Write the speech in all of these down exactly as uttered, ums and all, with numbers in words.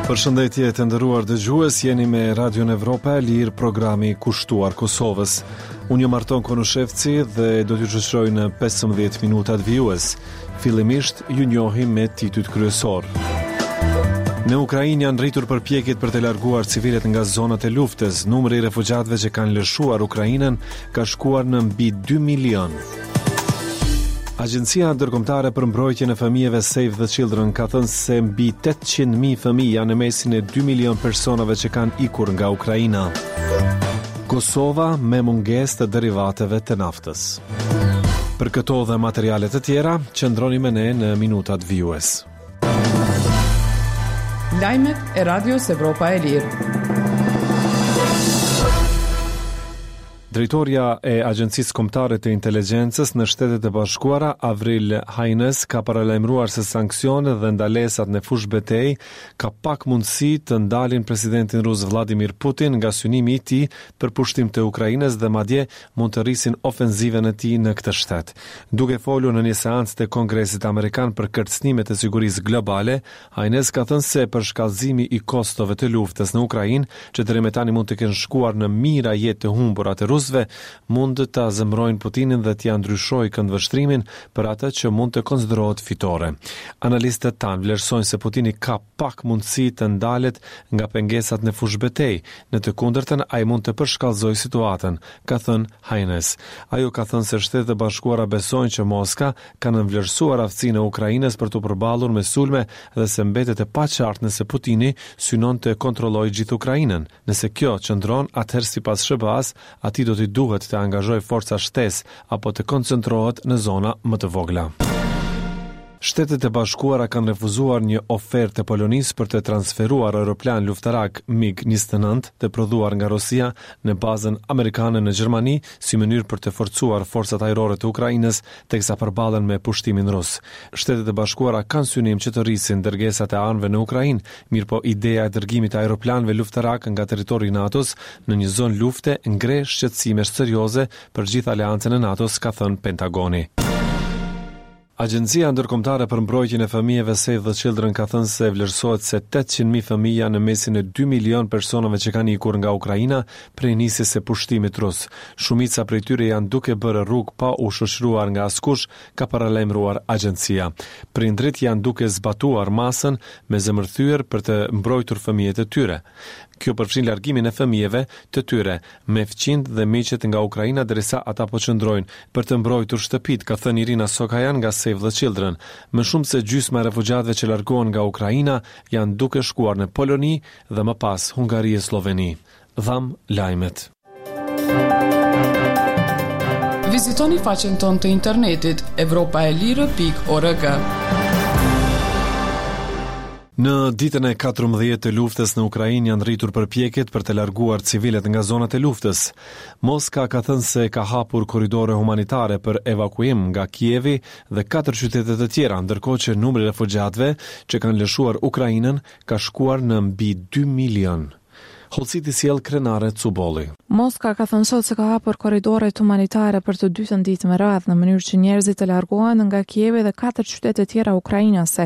Përshëndetje të nderuar dëgjues, jeni me Radion Evropa e Lirë, programi kushtuar Kosovës. Unë jam Arton Konushevci dhe do t'ju shoqëroj në pesëmbëdhjetë minutat vijues. Fillimisht ju njohim me titujt kryesor. Në Ukrainë janë rritur përpjekjet për të larguar civilët nga zonat e luftës. Numri i refugjatëve që kanë lëshuar Ukrainën ka shkuar në mbi dy milion. Agjencia Ndërkombëtare për Mbrojtjen e Fëmijëve Save the Children ka thënë se mbi tetëqind mijë fëmijë janë në mesin e dy milion personave që kanë ikur nga Ukraina. Kosova me mungesë të derivateve të naftës. Për këto dhe materiale të tjera, qëndroni me ne në minutat vijues. Lajmet e Radios Evropa e Lirë. Drejtoria e Agjencisë Kombëtare të Inteligjencës në Shtetet e Bashkuara, Avril Haines, ka paralajmëruar se sanksionet dhe ndalesat në fushë-betejë ka pak mundësi të ndalin presidentin rus Vladimir Putin nga synimi i tij për pushtim të Ukrainës dhe madje mund të rrisin ofenzivën e tij në këtë shtet. Duke folur në një seancë të Kongresit Amerikan për kërcënimet e sigurisë globale, Haines ka thënë se përshkallëzimi i kostove të luftës në Ukrainë, që deri më tani mund të kenë shkuar në mijëra jetë të humbura të rusëve, mund ta zemërojnë Putinin dhe t'ia ndryshojë këndvështrimin për atë që mund të konsiderohet fitore. Analistët tanë vlerësojnë se Putini ka pak mundësi të ndalet nga pengesat në fushëbetejë, në të kundërtën ai mund të përshkallëzojë situatën, ka thënë Haines. Ajo ka thënë se Shtetet e Bashkuara besojnë që Moska ka nënvlerësuar aftësinë e Ukrainës për t'u përballur me sulme dhe se mbetet e paqartë nëse Putini synon të kontrollojë gjithë Ukrainën. Nëse kjo qëndron, atëherë sipas S B A-s, atij do t'i duhet të angazhojë forca shtesë apo të koncentrohet në zona më të vogla. Shtetet e Bashkuara kanë refuzuar një ofertë të Polonisë për të transferuar aeroplan luftarak MiG njëzet e nëntë të prodhuar nga Rusia në bazën amerikane në Gjermani si mënyrë për të forcuar forcat ajrore të Ukrainës teksa përballen me pushtimin rus. Shtetet e Bashkuara kanë synim që të rrisin dërgesat e armëve në Ukrainë, mirëpo ideja e dërgimit të aeroplanëve luftarak nga territori i NATO-s në një zonë lufte ngre shqetësime serioze për gjithë aleancën e NATO-s, ka thënë Pentagoni. Agjencia Ndërkombëtare për Mbrojtjen e Fëmijëve Save the Children ka thënë se vlerësohet se tetëqind mijë fëmijë janë në mesin e dy milion personave që kanë ikur nga Ukraina prej nisjes së pushtimit rus. Shumica prej tyre janë duke bërë rrugë pa u shoqëruar nga askush, ka paralajmëruar agjencia. Prindrit janë duke zbatuar masën me zemërthyer për të mbrojtur fëmijët e tyre. Kjo përfshin largimin e fëmijëve të tyre me fqinjt dhe miqët nga Ukraina derisa ata po qëndrojnë për të mbrojtur shtëpitë, ka thënë Irina Sokajan nga Save the Children. Më shumë se gjysma e refugjatëve që largohen nga Ukraina janë duke shkuar në Poloni dhe më pas Hungari e Sloveni. Dham lajmet. Vizitoni faqen tonë të internetit evropa e lirë pikë org. Në ditën e katërmbëdhjetë të luftës në Ukrainë janë rritur përpjekjet për të larguar civilët nga zonat e luftës. Moska ka thënë se ka hapur korridore humanitare për evakuim nga Kievi dhe katër qytete të tjera, ndërkohë që numri i refugjatëve që kanë lëshuar Ukrainën ka shkuar në mbi dy milion. Hollësit i sjell Krenare Cubolli. Moska ka thënë sot se ka hapur korridoret humanitare për të dytën ditë me radhë në mënyrë që njerëzit të largohen nga Kievi dhe katër qytete tjera ukrainase,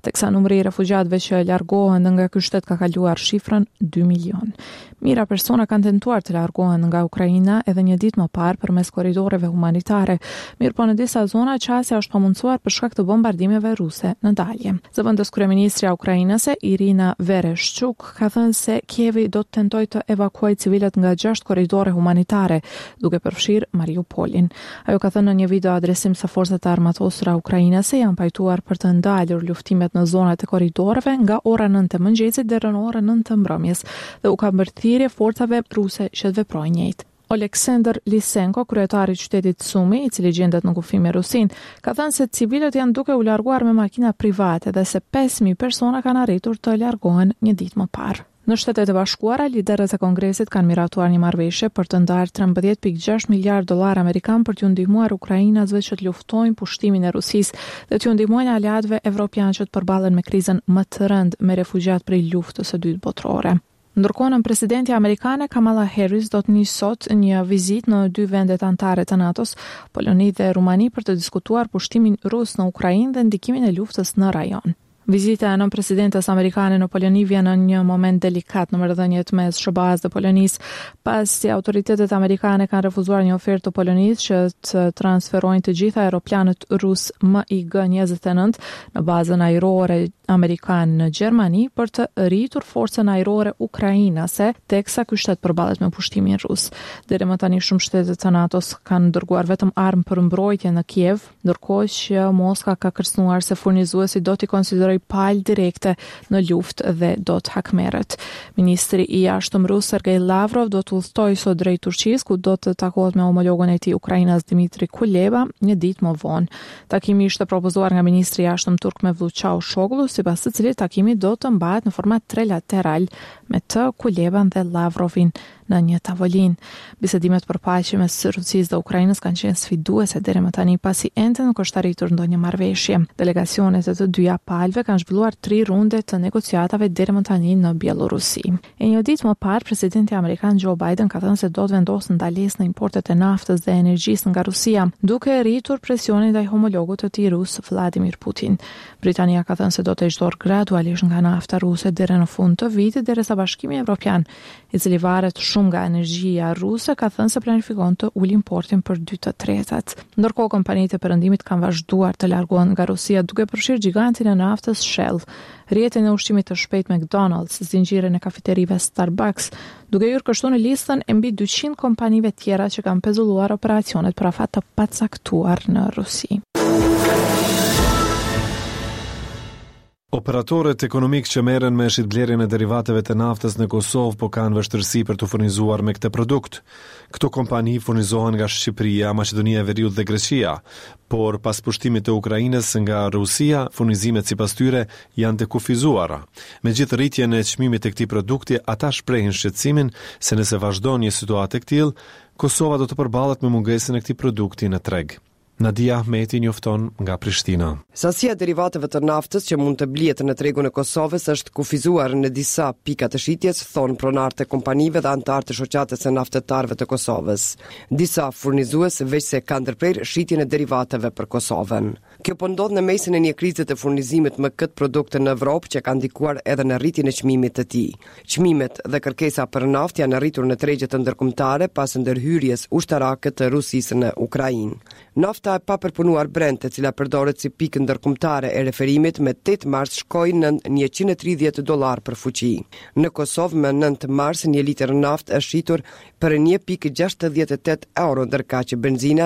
teksa numri i refugjatëve që largohen nga ky shtet ka kaluar shifrën dy milion. Mijëra persona kanë tentuar të largohen nga Ukraina edhe një ditë më parë përmes korridoreve humanitare, mirëpo në disa zona qasja është pamundësuar për shkak të bombardimeve ruse në dalje. Zëvendës kryeministrja ukrainase Irina Vereshchuk ka thënë se Kievi do të tentojë të evakuojë civilët nga gjashtë korridore humanitare, duke përfshirë Mariupolin. Ajo ka thënë në një video adresim se forcat e armatosura ukrainase janë pajtuar për të ndalur luftimet në zonat e korridoreve nga ora nëntë e mëngjesit deri në orën nëntë të mbrëmjes dhe u ka bërë thirrje forcave ruse që të veprojnë njëjtë. Oleksandr Lisenko, kryetari i qytetit Sumi, i cili gjendet në kufi me Rusinë, ka thënë se civilët janë duke u larguar me makina private dhe se pesë mijë persona kanë arritur të largohen një ditë më parë. Në Shtetet e Bashkuara, liderët e Kongresit kanë miratuar një marrëveshje për të ndarë trembëdhjetë pikë gjashtë miliard dollar amerikan për t'ju ndihmuar ukrainasve që të luftojnë pushtimin e Rusisë dhe t'ju ndihmojnë aleatëve evropianë që të përballen me krizën më të rëndë me refugjat prej luftës së dytë botërore. Ndërkohë, nënpresidentja amerikane Kamala Harris do të nisë sot një vizitë në dy vendet anëtare të NATO-s, Poloni dhe Rumani, për të diskutuar pushtimin rus në Ukrainë dhe ndikimin e luftës në rajon. Vizita e nënpresidentes amerikane në Poloni vjen në një moment delikat në marrëdhëniet mes S H B A-s dhe Polonisë, pasi autoritetet amerikane kanë refuzuar një ofertë të Polonisë që të transferojnë të gjitha aeroplanët rus MiG njëzet e nëntë në bazën ajrore amerikane në Gjermani për të rritur forcën ajrore ukrainase, teksa ky shtet përballet me pushtimin rus. Deri më tani, shumë shtete të NATO-s kanë dërguar vetëm armë për mbrojtje në Kiev, ndërkohë që Moska ka kërcënuar se furnizuesit do t'i konsiderojë palë direkte në luftë dhe do të hakmerret. Ministri i Jashtëm rus Sergej Lavrov do të udhëtojë sot drejt Turqisë, ku do të takohet me homologun e tij ukrainas Dmitri Kuleba një ditë më vonë. Takimi ishte propozuar nga ministri i Jashtëm turk Mevlut Çavuşoglu, sipas të cilit takimi do të mbahet në format trilateral me të, Kuleban dhe Lavrovin në një tavolinë. Bisedimet për paqe mes Rusisë dhe Ukrainës kanë qenë sfiduese deri më tani, pasi ende nuk është arritur ndonjë marrëveshje. Delegacionet e të dyja palëve kanë zhvilluar tri runde të negociatave deri më tani në Bielorusi. E një ditë më parë, presidenti amerikan Joe Biden ka thënë se do të vendosë ndalesë në importet e naftës dhe energjisë nga Rusia, duke rritur presionin ndaj homologut të tij rus Vladimir Putin. Britania ka thënë se do të heqë dorë gradualisht nga nafta ruse deri në fund të vitit, derisa Bashkimi Evropian, i cili varet shumë nga energjia ruse, ka thënë se planifikon të ulë importin për dy të tretat. Ndërkohë, kompanitë e perëndimit kanë vazhduar të largohen nga Rusia, duke përfshirë gigantin e naftës Shell, rrjetin e ushqimit të shpejtë McDonald's, zinxhirin e kafeterive Starbucks, duke hyrë kështu në listën e mbi dyqind kompanive tjera që kanë pezulluar operacionet për afat të pacaktuar në Rusi. Operatorët ekonomik që merren me shitblerjen e derivateve të naftës në Kosovë po kanë vështirësi për të furnizuar me këtë produkt. Këto kompani furnizohen nga Shqipëria, Maqedonia e Veriut dhe Greqia, por pas pushtimit të Ukrainës nga Rusia, furnizimet sipas tyre janë të kufizuara. Megjithë rritjen e çmimit të këtij produkti, ata shprehin shqetësimin se nëse vazhdon një situatë e këtillë, Kosova do të përballet me mungesën e këtij produkti në treg. Nadia Ahmeti njofton nga Prishtina. Sasia e derivateve të naftës që mund të blihet në tregun e Kosovës është kufizuar në disa pika të shitjes, thonë pronarët e kompanive dhe anëtarët e shoqatës së naftëtarëve të Kosovës. Disa furnizues veçse kanë ndërprerë shitjen e derivateve për Kosovën. Kjo po ndodh në mesin e një krize të furnizimit me këtë produkt në Evropë, që ka ndikuar edhe në rritjen e çmimit të tij. Çmimet dhe kërkesa për naftë janë rritur në tregjet ndërkombëtare pas ndërhyrjes ushtarake të Rusisë në Ukrainë. Nafta e papërpunuar Brent, e cila përdoret si pikë ndërkombëtare e referimit, me tetë mars shkoi në njëqind e tridhjetë dollar për fuqi. Në Kosovë, më nëntë mars, një litër naftë është shitur për një pikë gjashtëdhjetë e tetë euro, ndërkaq benzina